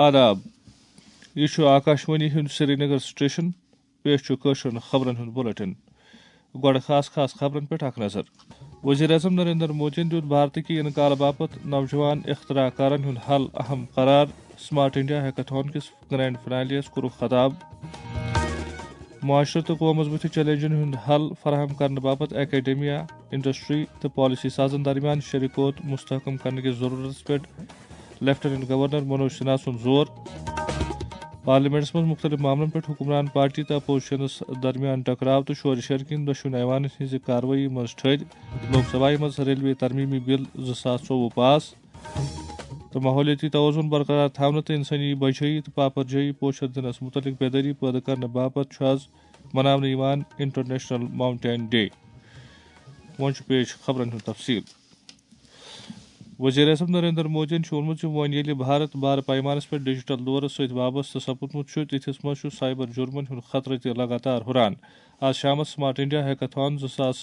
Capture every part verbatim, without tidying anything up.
آداب۔ یہِ چھُ آکاشوانی ہُنٛد سرینگر سٹیشن۔ پیش چھُ کٲشرٮ۪ن خبرن ہُنٛد بلیٹن۔ گۄڈٕ خاص خاص خبرن پٮ۪ٹھ اکھ نظر۔ وزیر اعظم نریندر مودیَن دیُت بھارتٕکہِ انقلاب باپتھ نوجوان اختراع کارن ہُنٛد حل اہم قرار۔ سمارٹ انڈیا ہیکتھان کِس گرینڈ فنالیَس کوٚرُکھ خطاب۔ معاشرٕ تہٕ قومس بُتھِ چیلنجن ہُنٛد حل فراہم کرنہٕ باپتھ اکیڈمیا، انڈسٹری تہٕ پالیسی سازن درمیان شریکوت مستحکم کرنہٕ کِس ضروٗرتس پٮ۪ٹھ لیفٹیننٹ گورنر منوج سنہا سُنٛد زور۔ پارلیمنٹس منٛز مُختٔلِف معاملن پٮ۪ٹھ حکمران پارٹی تہٕ اپوزیشنس درمیان ٹکراو تہٕ شورٕ شرٕ کِنۍ دۄشوٕنی ایوانن ہٕنٛزِ کاروٲیی منٛز ٹھٔہرۍ۔ لوک سبھایہ منٛز ریلوے ترمیمی بل زٕ ساس ژوٚوُہ پاس۔ تہٕ ماحولیٲتی توازن برقرار تھاونہٕ تہٕ انسٲنی بچٲیی تہٕ پاپر جٲیی پوچھر دِنس مُتعلق بیدٲری پٲدٕ کرنہٕ باپتھ چھُ آز مناونہٕ یِوان انٹرنیشنل ماؤنٹین ڈے۔ وۄنۍ چھُ پیش خبرن ہُنٛد تفصیل۔ وزیر اعظم نریندر مودیَن چھُ ووٚنمُت زِ وۄنۍ ییٚلہِ بھارت بارٕ پیمانس پٮ۪ٹھ ڈیجیٹل دورس سۭتۍ وابستہٕ سپُدمُت چھُ، تِتھِس منٛز چھُ سائبر جرمن ہُنٛد خطرٕ تہِ لگاتار ہُران۔ آز شامس سمارٹ انڈیا ہیکتھان زٕ ساس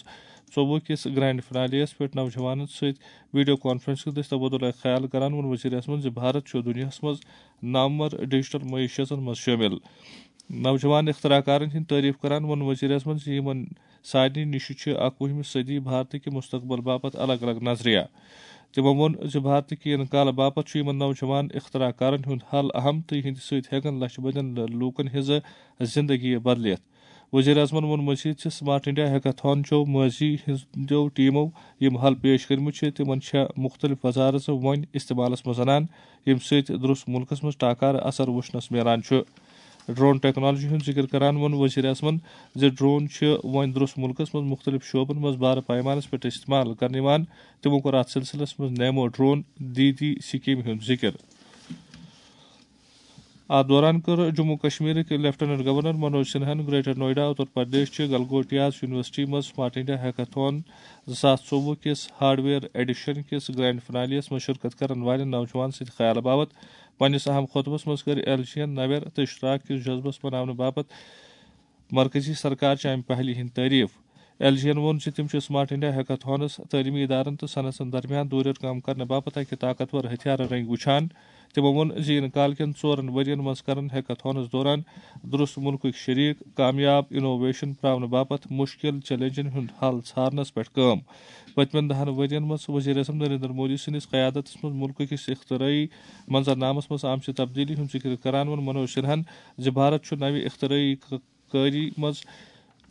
ژوٚوُہ کِس گرینڈ فنالیَس پٮ۪ٹھ نوجوانن سۭتۍ ویڈیو کانفرنسنگ دٔسۍ تبادلہ خیال کران ووٚن وزیر اعظمن زِ بھارت چھُ دُنیاہس منٛز نامور ڈیجیٹل معیشتن منٛز شٲمِل۔ نوجوان اختراع کارن ہٕنٛز تعریف کران ووٚن وزیر اعظمن زِ یِمن سارنٕے نِش چھِ اکوُہمہِ صدی بھارتٕکہِ مستقبل باپتھ الگ الگ نظریہ۔ تِمو ووٚن زِ بھارتٕکہِ انقلاب باپتھ چھُ یِمن نوجوان اختراع کارن ہُنٛد حل اہم تہٕ یِہنٛدِ سۭتۍ ہٮ۪کن لچھِ بٔدٮ۪ن لوٗکن ہٕنٛز زندگی بدلِتھ۔ وزیر اعظمن ووٚن مزید زِ سمارٹ انڈیا ہیکتھان چھُ ماضی ہٕنٛدیو ٹیمو یِم حل پیش کٔرمٕتۍ چھِ، تِمن چھےٚ مُختٔلِف وزارژٕ وۄنۍ استعمالس منٛز انان، ییٚمہِ سۭتۍ درست مُلکس منٛز ٹاکارٕ اثر وُچھنس میلان چھُ۔ ڈرون ٹیکنالوجی ہُنٛد ذِکِر کران ووٚن وزیر اعظمن زِ ڈرون چھِ وۄنۍ درست مُلکس منٛز مُختٔلِف شعبن منٛز بارٕ پیمانس پٮ۪ٹھ استعمال کرنہٕ یِوان۔ تِمو کوٚر اتھ سلسلس منٛز نیمو ڈرون دیدی سکیمہِ ہُنٛد ذِکِر۔ اتھ دوران کٔر جموں کشمیرٕکۍ لیفٹیننٹ گورنر منوج سنہاہن گریٹر نوئیڈا، اتر پردیش چہِ گلگوٹیاز یونیورسٹی منٛز سمارٹ انڈیا ہیکتھان زٕ ساس ژوٚوُہ کِس ہارڈویئر ایڈیشن کِس گرینڈ فنالیَس منٛز شرکت کرن والٮ۪ن نوجوان سٕنٛدِ خیالہٕ باپتھ پننِس اہم خطبس منٛز کٔر ایل جی یَن نویر تہٕ اشتراک کِس جذبس مناونہٕ باپتھ مرکزی سرکار چہِ امہِ پہلہِ ہٕنٛدۍ تعریف۔ ایل جی یَن ووٚن زِ تِم چھِ سمارٹ انڈیا ہیکتھانس تعلیمی ادارن تہٕ صنعتن درمیان دوٗریر کٲم کرنہٕ باپتھ اکہِ طاقتور ہتھیارٕ رٔنگۍ وُچھان۔ تِمو ووٚن زِ یِنہٕ کال کٮ۪ن ژورن ؤرین منٛز کرن ہیکتھانس دوران درست مُلکٕکۍ شریک کامیاب انوویشن پراونہٕ باپتھ مُشکِل چیلنجن ہُنٛد حل ژھارنس پٮ۪ٹھ کٲم۔ پٔتمٮ۪ن دہن ؤرین منٛز وزیر اعظم نریندر مودی سٕنٛدِس قیادتس منٛز مُلکہٕ کِس اختراعی منظرنامس منٛز آمژِ تبدیلی ہُنٛد ذِکِر کران ووٚن منوج سنہاہن زِ بھارت چھُ نوِ اختراعی ک-، کٲری منٛز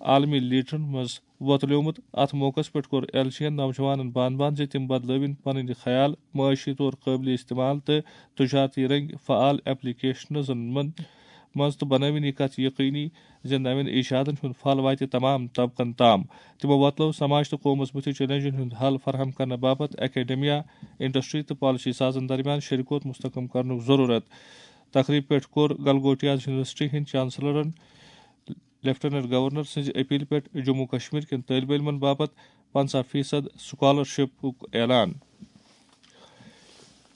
عالمی لیڈرن منٛز وۄتلیومُت۔ اتھ موقعس پٮ۪ٹھ کوٚر ایل جی یَن نوجوانن بان بان زِ تِم بدلٲوِن پنٕنۍ خیال معاشی طور قٲبلِ استعمال تہٕ تجارتی رنگۍ فعال ایپلیکیشنزن منٛز منٛز تہٕ بنٲوِن یہِ کتھ یقینی زِ نوٮ۪ن ایجادن ہُنٛد پھل واتہِ تمام طبقن تام۔ تِمو وۄتلٲو سماج تہٕ قومس بُتھِ چیلنجن ہُنٛد حل فراہم کرنہٕ باپتھ اکیڈمیا، انڈسٹری تہٕ پالیسی سازن درمیان شریکوت مستحکم کرنُک ضرورت۔ تقریبہِ پٮ۪ٹھ کوٚر گلگوٹیاز یونیورسٹی ہٕنٛدۍ چانسلرن لیفٹیننٹ گورنر سٕنٛزِ اپیلہِ پٮ۪ٹھ جموں کشمیر کٮ۪ن طٲلبہِ علمن باپتھ پنژاہ فیصد سکالرشپُک اعلان۔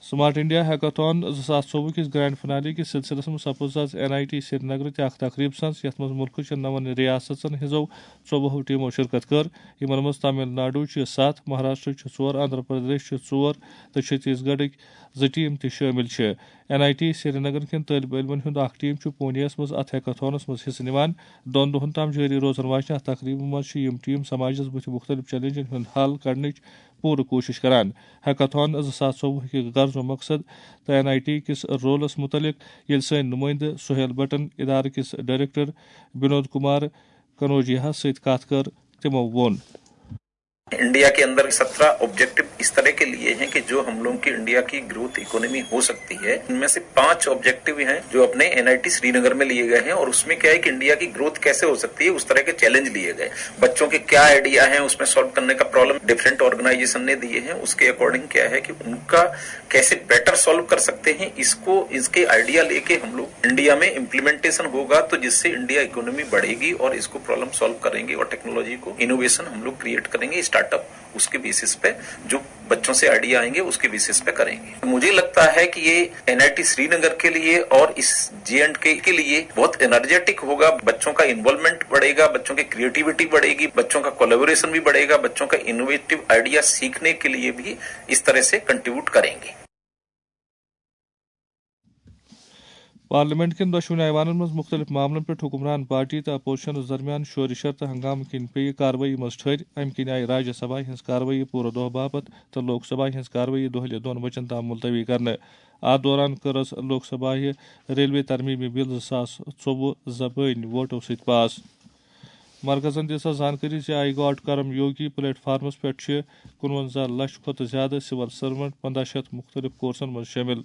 سمارٹ انڈیا ہیکتھان زٕ ساس ژوٚوُہ کِس گرینڈ فنالی کِس سلسلس منٛز سپُز آز این آئی ٹی سرینگرٕ تہِ اکھ تقریب سنٛز، یتھ منٛز مُلکہٕ چٮ۪ن نون ریاستن ہٕنٛزو ژوٚوُہو ٹیمو شرکت کٔر، یِمن منٛز تامل ناڈو چھِ ستھ، مہاراشٹر چھِ ژور، آندھرا پردیش چھِ ژور تہٕ چھتیس گڑھٕکۍ زٕ ٹیم تہِ شٲمِل چھِ۔ این آئی ٹی سرینگر کٮ۪ن طٲلبہِ علمن ہُنٛد اکھ ٹیم چھُ پونیَس منٛز اتھ ہیکتھانس منٛز حصہٕ نِوان۔ دۄن دۄہن تام جٲری روزن واجنہِ اتھ تقریبہِ منٛز چھِ یِم ٹیم سماجس بُتھِ مُختٔلِف چیلنجن ہُنٛد حل کڑنٕچ پوٗرٕ کوٗشش کران۔ ہیکتھان زٕ ساس ژوٚوُہ کہِ غرض و مقصد تہٕ این آئی ٹی کِس رولس مُتعلق ییٚلہِ سٲنۍ نُمٲیندٕ سہیل بٹن ادارٕ کِس ڈائریکٹر بنود کمار کنوجیاہس سۭتۍ کتھ کٔر، تِمو ووٚن۔ इंडिया के अंदर सत्रह ऑब्जेक्टिव इस तरह के लिए हैं कि जो हम लोग की इंडिया की ग्रोथ इकोनॉमी हो सकती है। इनमें से पांच ऑब्जेक्टिव हैं जो अपने एनआईटी श्रीनगर में लिए गए हैं, और उसमें क्या है कि इंडिया की ग्रोथ कैसे हो सकती है, उस तरह के चैलेंज लिए गए। बच्चों के क्या आइडिया हैं उसमें सॉल्व करने का, प्रॉब्लम डिफरेंट ऑर्गेनाइजेशन ने दिए हैं, उसके अकॉर्डिंग क्या है कि उनका कैसे बेटर सॉल्व कर सकते हैं, इसको, इसके आइडिया लेके हम लोग इंडिया में इम्प्लीमेंटेशन होगा, तो जिससे इंडिया इकोनॉमी बढ़ेगी और इसको प्रॉब्लम सॉल्व करेंगे और टेक्नोलॉजी को, इनोवेशन हम लोग क्रिएट करेंगे, स्टार्टअप उसके बेसिस पे जो बच्चों से आइडिया आएंगे उसके बेसिस पे करेंगे। मुझे लगता है कि ये एनआईटी श्रीनगर के लिए और इस जे एंड के के लिए बहुत एनर्जेटिक होगा। बच्चों का इन्वॉल्वमेंट बढ़ेगा, बच्चों की क्रिएटिविटी बढ़ेगी, बच्चों का कोलैबोरेशन भी बढ़ेगा, बच्चों का इनोवेटिव आइडिया सीखने के लिए भी इस तरह से कंट्रीब्यूट करेंगे। پارلیمنٹ کٮ۪ن دۄشوٕنی ایوانن منٛز مُختٔلِف معاملن پٮ۪ٹھ حکمران پارٹی تہٕ اپوزیشنس درمیان شورِ شر تہٕ ہنگامہٕ کِنۍ پیٚیہِ کاروٲیی منٛز ٹھٔرۍ۔ امہِ کِنۍ آیہِ راجیہ سبھایہ ہٕنٛز کاروٲیی پوٗرٕ دۄہ باپتھ تہٕ لوک سبھایہ ہٕنٛز کاروٲیی دۄہلہِ دۄن بجن تام ملتوی کرنہٕ۔ اتھ دوران کٔرٕس لوک سبھایہ ریلوے ترمیمی بل زٕ ساس ژوٚوُہ زبٲنۍ ووٹو سۭتۍ پاس۔ مرکزن دِژ سۄ زانکٲری زِ آئی گاٹ کرم یوگی پلیٹ فارمس پٮ۪ٹھ چھِ کُنوَنزاہ لچھ کھۄتہٕ زیادٕ سول سرونٹ پنداہ شیٚتھ مُختٔلِف کورسن منٛز شٲمِل۔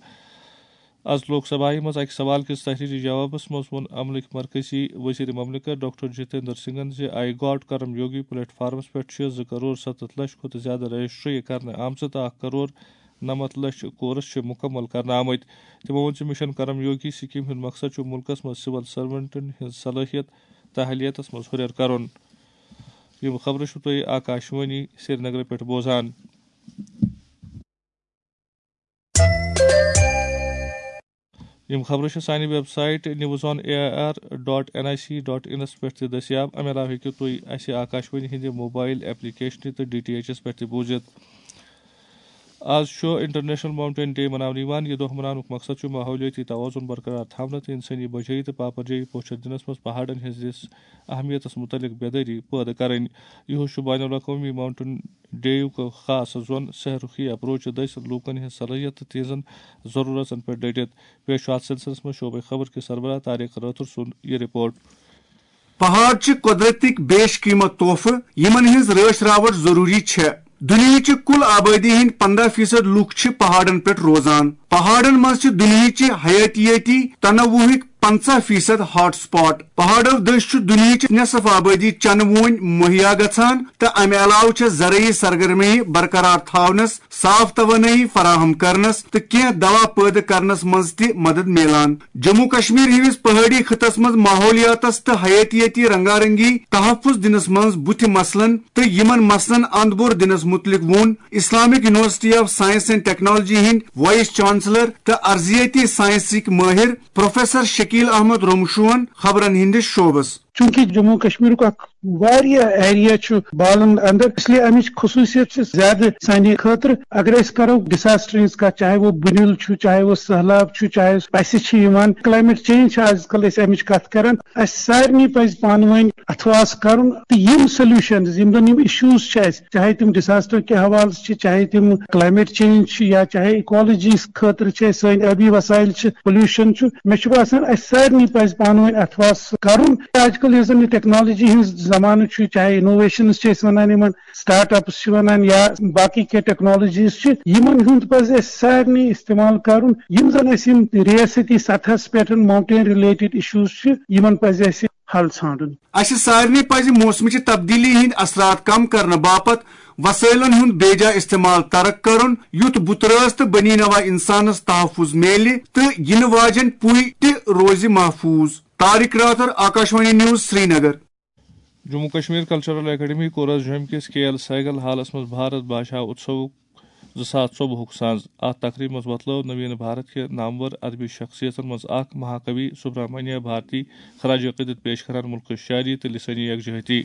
از لوک سبھایہ منٛز اکہِ سوال کِس تحریری جوابس منٛز ووٚن عملٕکۍ مرکزی وزیر مملکت ڈاکٹر جتیندر سنگھن زِ آئی گاٹ کرم یوگی پلیٹ فارمس پٮ۪ٹھ چھِ زٕ کرور ستتھ لچھ کھۄتہٕ زیادٕ رجسٹری کرنہٕ آمژٕ تہٕ اکھ کرور نَمَتھ لچھ کورس چھِ مُکمل کرنہٕ آمٕتۍ۔ تِمو ووٚن زِ مشن کرم یوگی سکیٖم ہُنٛد مقصد چھُ مُلکس منٛز سول سرونٹن ہٕنٛز صلٲحیت تہٕ اہلیتس منٛز ہُرٮ۪ر کرُن۔ یِم خبرٕ چھِو تُہۍ آکاشوانی سرینگرٕ پٮ۪ٹھ بوزان۔ یِم خبرٕ چھِ سانہِ website news on A I R dot N I C dot انس پٮ۪ٹھ تہِ دٔستیاب۔ اَمہِ علاوٕ ہیٚکِو تُہۍ اَسہِ آکاشوانی ہِنٛدِ موبائل ایپلیکیشنہِ تہٕ ڈی ٹی ایچ ایس پٮ۪ٹھ تہِ بوٗزِتھ۔ آز چھُ انٹرنیشنل ماؤنٹین ڈے مناونہٕ یِوان۔ یہِ دۄہ مناونُک مقصد چھُ ماحولیٲتی توازن برقرار تھاونہٕ تہٕ انسٲنی بچٲیی تہٕ پاپرجٲیی پوچھر دِنس منٛز پہاڑن ہٕنٛدِس اہمیتس مُتعلق بیدٲری پٲدٕ کرٕنۍ۔ یِہُس چھُ بین الاقوٲمی ماؤنٹین ڈے یُک خاص زون سہ رخی اپروچ دٔسۍ لوٗکن ہٕنٛز صلٲحیت تہٕ تِہنٛزن ضروٗرتن پٮ۪ٹھ ڈٔٹِتھ۔ پیش چھُ اتھ سلسلس منٛز شعبہٕ خبر کِس سربراہ طارق رٲتھر سُنٛد یہِ رپورٹ۔ پہاڑ چھِ قۄدرتٕکۍ بیش قیمت تحفہٕ، یِمن ہٕنٛز رٲچھ راوٹھ ضروٗری چھےٚ۔ دُنیاہٕچہِ کُل آبٲدی ہٕنٛدۍ پنٛداہ فیصد لوٗکھ چھِ پہاڑن پٮ۪ٹھ روزان۔ پہاڑن منٛز چھِ دُنیاہٕچہِ حیاتیٲتی تنوعُک پنٛژاہ فیصد ہاٹ سپاٹ۔ پہاڑو دٔسۍ چھُ دُنیاہٕچ نصف آبٲدی چنہٕ وونۍ مہیا گژھان تہٕ امہِ علاوٕ چھےٚ زرعی سرگرمی برقرار تھاونس، صاف توانٲیی فراہم کرنس تہٕ کینٛہہ دوا پٲدٕ کرنس منٛز تہِ مدد میلان۔ جموں کشمیر ہِوِس پہٲڑی خطس منٛز ماحولیاتس تہٕ حیاتیٲتی رنگارنگی تحفظ دِنس منٛز بُتھِ مسلن تہٕ یِمن مسلن اند بور دِنس مُتعلق ووٚن Islamic university of science and technology ہٕنٛدۍ وائس چانسلر تہٕ ارضیاتی سائنسٕکۍ مٲہر پروفیسر شکیل احمد رومشوہن خبرن ہٕنٛدِس شعبس۔ چونکہ جموں کشمیرُک اکھ واریاہ ایریا چھُ بالن اندر، اس لیے امِچ خصوصیت چھِ زیادٕ سانہِ خٲطرٕ۔ اگر أسۍ کرو ڈساسٹرن ہٕنٛز کتھ، چاہے وہ بُنِل چھُ، چاہے وہ سہلاب چھُ، چاہے پسہِ چھِ یِوان، کلائمیٹ چینج چھِ آز کل أسۍ امِچ کتھ کران۔ اسہِ سارنٕے پزِ پانہٕ ؤنۍ اتھواس کرُن تہٕ یِم سولوشنز، یِم زن یِم ایشوز چھِ اسہِ، چاہے تِم ڈساسٹر کہِ حوالہٕ چھِ، چاہے تِم کلائمیٹ چینج چھِ، یا چاہے اکالوجی خٲطرٕ چھِ اسہِ سٲنۍ آبی وسائل چھِ، پولوشن چھُ، مےٚ چھُ باسان اسہِ سارنٕے پزِ پانہٕ ؤنۍ اتھواس کرُن۔ آج کل یُس زن یہِ ٹیکنالوجی ہٕنٛز زمانہٕ چھُ، چاہے انوویشنز چھِ أسۍ ونان یِمن، سٹارٹ اپس چھِ ونان یا باقٕے کینٛہہ ٹیکنالوجیز چھِ، یِمن ہُنٛد پزِ اسہِ سارنٕے استعمال کرُن، یِم زن اسہِ یِم ریاستی سطحس پٮ۪ٹھ ماؤنٹین ریلیٹڈ ایشوز چھِ، یِمن پزِ اسہِ حل ژھانڈُن۔ اسہِ سارنٕے پزِ موسمٕچہِ تبدیلی ہٕنٛدۍ اثرات کم کرنہٕ باپتھ وسٲیلن ہُنٛد بیجا استعمال ترک کرُن، یُتھ بُترٲژ تہٕ بنی نوع انسانس تحفظ میلہِ تہٕ یِنہٕ واجٮ۪ن پُے تہِ روزِ محفوظ۔ Tariq Rather, Akashvani news, Srinagar. Jammu Kashmir cultural academy کوٚر از جوٚمہِ کِس کے ایل سیگل ہالس منٛز بھارت بھاشا اتسوُک زٕ ساس ژوٚوُہُک سنٛز۔ اتھ تقریبہِ منٛز وۄتلٲو نویٖن بھارت کہِ نامور ادبی شخصیتن منٛز اکھ مہاکوی سبرامنیہ بھارتی خراج عقیدت پیش کران ملکٕچ شاعری تہٕ لسٲنی یکجہتی۔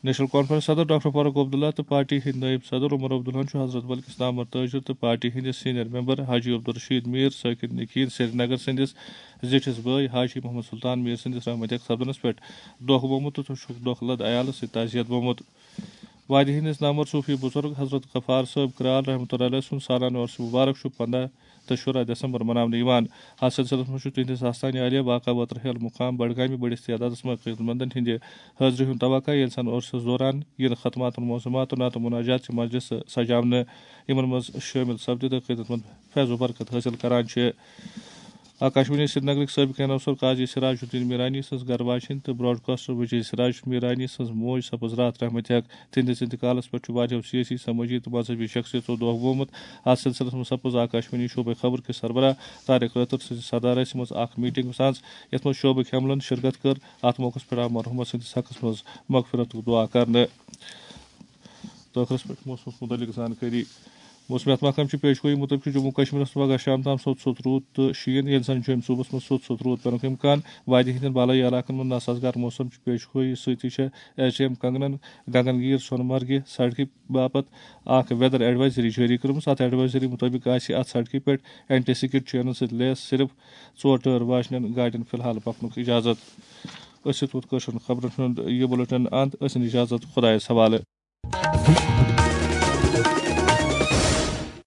نیشنل کانفرنس صدر ڈاکٹر فاروق عبداللہ تہٕ پارٹی ہٕنٛدۍ نٲیِب صدر عمر عبداللہن چھُ حضرت بل کِس نامور تاجر تہٕ پارٹی ہٕنٛدِس سینئر ممبر حاجی عبدالرشید میر ساکن نکین سرینگر سٕنٛدِس زِٹھِس بٲے حاجی محمد سلطان میر سٕنٛدِس رحمتیک سپدنس پٮ۪ٹھ دۄکھ گوٚمُت تہٕ چھُکھ دۄکھ لد عیالس سۭتۍ تعزیت گوٚمُت۔ وادی ہٕنٛدِس نامور صوفی بزرگ حضرت غفار صٲب کرال رحمتہ اللہ علیہ سُنٛد سالانہٕ عرس مبارک چھُ پنٛداہ تہٕ شُراہ دسمبر مناونہٕ یِوان۔ اتھ سلسلس منٛز چھُ تِہنٛدِس آستانہِ عالیہ واقع وترہیل مقام بڈگامہِ بٔڑِس تعدادس منٛز عقیدت مندن ہٕنٛدِ حٲضری ہُنٛد توقع، ییٚلہِ زن عرسس دوران یِن ختماتن معظمات تہٕ نعت و مناجات چہِ مجلسہٕ سجاونہٕ۔ یِمن منٛز شٲمِل سپدِ تہٕ عقیدت مند فیض و برکت حٲصِل کران چھِ۔ آکاشوانی سرینگرٕکۍ سٲبقہٕ اناؤنسر قاضی سراج الدین میرانی سٕنٛز گرٕ واجِنۍ تہٕ براڈکاسٹر وجے سراج میرانی سٕنٛز موج سپٕز راتھ رحمتیک۔ تِہنٛدِس انتقالس پٮ۪ٹھ چھُ واریاہو سیٲسی، سمٲجی تہٕ مذہبی شخصیژو دۄکھ گوٚومُت۔ اتھ سلسلس منٛز سپٕز آکاشوانی شعبے خبر کِس سربراہ طارق رٲتھر سٕنٛزِ صدارژ منٛز اکھ میٹنگ سانز، یتھ منٛز شعبٕکۍ عملن شرکت کٔر۔ اتھ موقعس پٮ۪ٹھ آو مرحومہ سٕنٛدِس حقس منٛز مغفرتُک دعا کرنہٕ۔ تہٕ ٲخرس پٮ۪ٹھ موسمس متعلق زانکٲری۔ موسمیات محکمہٕ چہِ پیشگویی مُطٲبِق چھُ جموں کشمیرس پگاہ شام تام سوٚت سوٚت روٗد تہٕ شیٖن، ییٚمہِ سان جوٚمۍ صوبس منٛز سوٚت سوٚت روٗد پٮ۪نُک امکان۔ وادی ہٕنٛدٮ۪ن بالٲیی علاقن منٛز ناسازگار موسم چہِ پیشگویی سۭتی چھےٚ ایس ڈی ایم کنگنن گنگن گیٖر سۄنہٕ مرگہِ سڑکہِ باپتھ اکھ ویدر ایڈوائزری جٲری کٔرمٕژ۔ اتھ ایڈوائزری مُطٲبِق آسہِ اتھ سڑکہِ پٮ۪ٹھ اینٹی سکڈ چینن سۭتۍ لیس صرف ژور ٹٲر واجنٮ۪ن گاڑٮ۪ن فی الحال پکنُک اجازت۔ أسۍ چھِ تُہُنٛد کٲشرٮ۪ن خبرن ہُنٛد یہِ بُلٹن اند۔ أسۍ اِن اجازت خۄدایس حوالہٕ۔